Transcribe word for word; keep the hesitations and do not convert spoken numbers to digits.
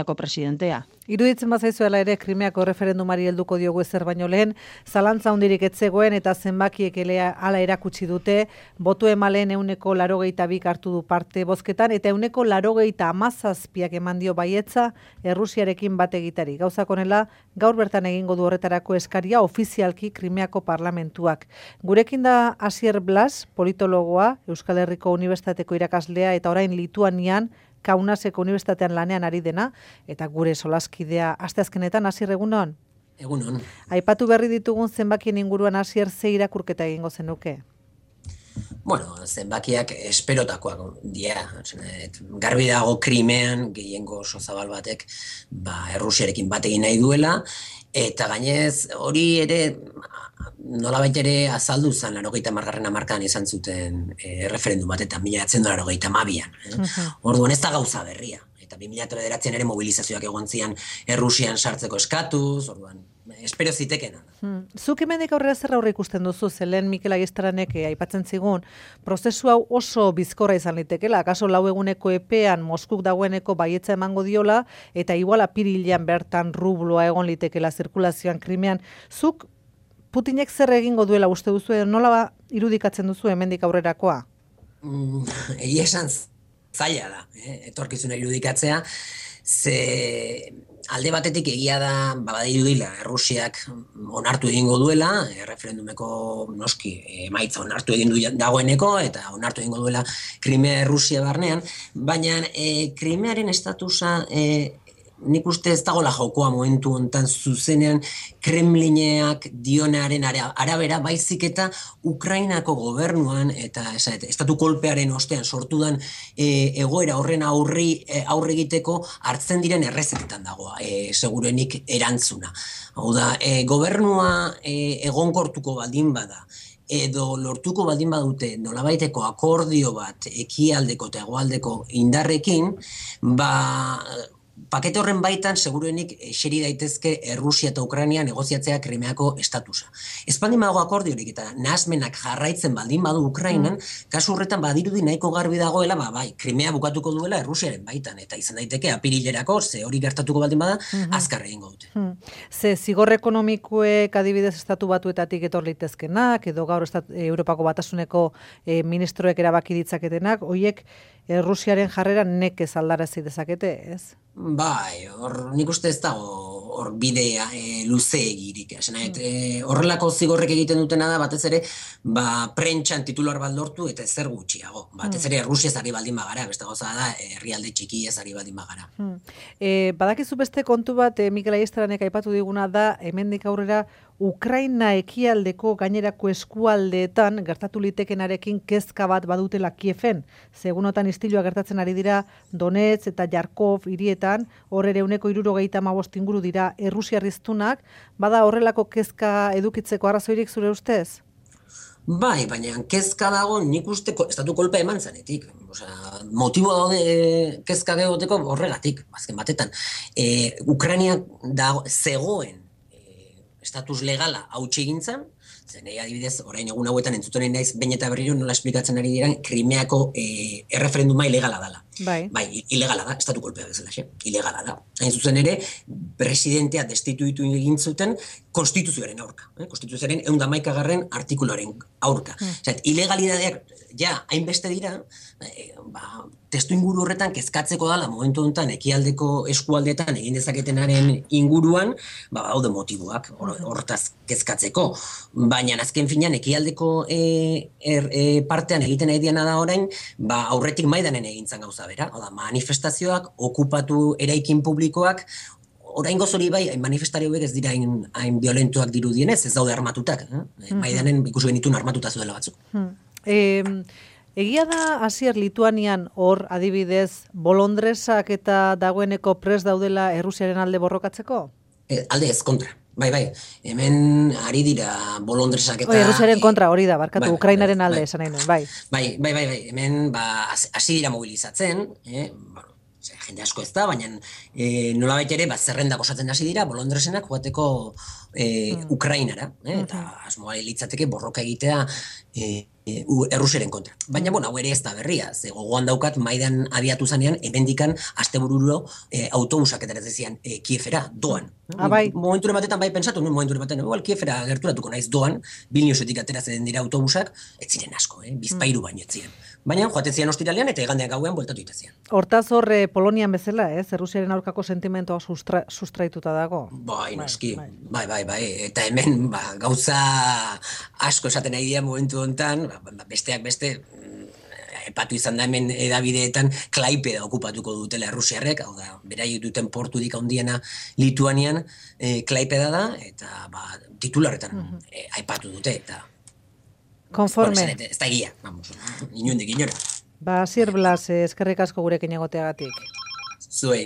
presidentea. Iruditzen bazaizuela ere Krimeako referendumari helduko diogu ezer baino lehen, zalantza hundirik etzegoen eta zenbakiek elea hala erakutsi dute, botu emaleen euneko larogeita bik hartu du parte bozketan, eta euneko larogeita hamazazpiak eman dio baietza Errusiarekin bat egitari. Gauzak honela, gaur bertan egingo du horretarako eskaria ofizialki Krimeako parlamentuak. Gurekin da Asier Blas, politologoa, Euskal Herriko Unibertsitateko irakaslea eta orain Lituanian Kaunaseko Unibertsitatean lanean ari dena, eta gure solaskidea asteazkenetan. Asier, egunon? Egunon. Aipatu berri ditugun zenbakien inguruan, Asier, ze irakurketa egingo zenuke? Bueno, zenbakiak esperotakoak dira. Garbi dago Krimean gehiengo oso zabal batek ba, Errusiarekin bat egin nahi duela, eta gainez hori ere nolabait ere azaldu zen laurogeita hamargarren hamarkadan izan zuten e, referendum bat, eta mila bederatziehun eta laurogeita hamabian. Eh? Uh-huh. Orduan ez da gauza berria. Eta bi mila bederatzian ere mobilizazioak egon zian Errusian sartzeko eskatuz, orduan, espero zitekena. Hmm. Zuk hemendik aurrera zer aurre ikusten duzu, zelen Mikel Aiestaranek aipatzen zigun, prozesu hau oso bizkorra izan litekela, akaso lau eguneko epean Moskuk dagoeneko baietza emango diola, eta igual apirilean bertan rubloa egon litekela zirkulazioan Krimean. Zuk Putinek zer egingo duela uste duzu, nola ba irudikatzen duzu hemendik aurrerakoa? Mm, Egia esan zaila da, eh? etorkizuna irudikatzea, ze alde batetik egia da, badirudila, Errusiak onartu egingo duela, erreferendumeko noski emaitza onartu egin du dagoeneko, eta onartu egingo duela Krimea Errusia barnean, baina e, Krimearen estatusa e, nik uste ez dagoela jokoa momentu hontan zuzenean Kremlineak dionearen arabera, baizik eta Ukrainako gobernuan eta esaet, estatu kolpearen ostean sortudan e, egoera horren aurri e, aurre egiteko hartzen diren errezetetan dagoa, e, segurenik erantzuna. Hau da, e, gobernua e, egonkortuko baldin bada, edo lortuko baldin badute nolabaiteko akordio bat ekialdeko eta hegoaldeko indarrekin, ba pakete horren baitan, seguruenik, eseri daitezke Errusia eta Ukraina negoziatzea Krimeako estatusa. Ez baldin badago akordiorik eta nahasmenak jarraitzen baldin badu Ukrainan, mm. kasu horretan badirudi nahiko garbi dagoela, ba, bai, Krimea bukatuko duela Errusiaren baitan, eta izan daiteke apirilerako, ze hori gertatuko baldin bada, mm-hmm. azkar egingo dute. Mm. Ze zigor ekonomikoek adibidez estatu batuetatik etor litezkenak, edo gaur estat, Europako Batasuneko e, ministroek erabaki ditzaketenak, hoiek Errusiaren jarrera nekez aldarazi dezakete, ez? Bai, hor nik uste ez dago hor bidea e, luze egirik. Mm. E, horrelako zigorrek egiten dutena da, batez ere, ba, prentxan titular bat lortu eta ezer gutxiago. Batez ere, Errusiaz ari baldin bagara, beste gauza da, herrialde txikiez ari baldin bagara. Mm. E, badakizu beste kontu bat, e, Mikel Aiestaranek aipatu diguna da, hemendik aurrera, Ukraina ekialdeko gainerako eskualdeetan gertatu litekenarekin kezka bat badutela Kieven. Segunotan istilua gertatzen ari dira Donetsk eta Jarkov hirietan, hor ere euneko hirurogeita hamabost inguru dira errusiarriztunak, bada horrelako kezka edukitzeko arrazoirik zure ustez? Bai, baina kezka dago nik uste estatu kolpea eman zanetik. Osea, motibo daude kezka egoteko horregatik, azken batetan. E, Ukraina dago, zegoen estatus legala hautsi egin zen, zen adibidez, orain egun hauetan entzuten naiz behin eta berriro nola esplikatzen ari diren Krimeako e, erreferenduma ilegala dela. Bai. Bai, ilegala da, estatu kolpea bezala, xe, ilegala da. Hain zuzen ere, presidentea destituitu egin zuten konstituzioaren aurka. Eh? Konstituzioaren ehun eta hamaikagarren artikuluaren aurka. Hmm. Osea, ilegalidadeak ja hainbeste dira, eh, ba, testu inguru horretan kezkatzeko dala momentu honetan ekialdeko eskualdetan egin dezaketenaren inguruan, ba, haude motiboak hortaz kezkatzeko. Baina azken finean ekialdeko e, er, e, partean egiten nahi diana da orain, ba, aurretik maidanen egintzan gauza bera. Oda, manifestazioak, okupatu eraikin publikoak, orain gozori bai, manifestario ez dira hain, hain violentuak dirudienez, ez daude armatutak. Eh? Mm-hmm. Maidanen ikusi genitun armatuta zuela batzuk. Hmm. E, egia da, Asier, Lituanian hor adibidez, bolondresak eta dagoeneko pres daudela Errusiaren alde borrokatzeko? E, alde ez, kontra. Bai, bai, hemen ari dira bolondresak eta... Oi, Errusiaren kontra hori da, barkatu, bai, Ukrainaren bai, alde bai, esan nahi nuen, bai. Bai, bai, bai, bai, hemen ba, hasi dira mobilizatzen, eh? Bueno, jende asko ez da, baina e, nolabait ere, ba, zerrendak osatzen hasi dira, bolondresenak joateko e, mm. Ukrainara, eh? Eta asmoa litzateke borroka egitea e, Errusiaren kontra. Baina, bueno, hau ere ez da berria, ze gogoan daukat Maidan abiatu zanean, hemendikan astebururo e, autobusak eta zian e, Kiefera, doan. Ah, bai. Momenture batetan bai pensatu, no? Momenture batetan, igual Kiefera gerturatuko naiz doan, Vilniusetik ateratzen dira autobusak, ez ziren asko, eh? Bizpairu baino ez ziren. Baina, joaten zian ostiralean eta igandean gauean bueltatu itezian. Hortaz hor, eh, Polonian bezala, ez? Errusiaren aurkako sentimentoa sustra, sustraituta dago. Bai, noski, bai, bai, bai, eta hemen, ba, gauza asko esaten nahi dira momentu honetan, ba, besteak beste, epatu izan da hemen edabideetan Klaipeda okupatuko dutela errusiarrek, hau da, beraiek duten portudik handiena Lituanian, e, Klaipeda da, eta ba, titularretan uh-huh. e, aipatu dute, eta konforme. Bueno, ez da egia, vamos, inundik inora. Ba, Asier Blas, eskerrik asko gurekin egoteagatik. Zuei.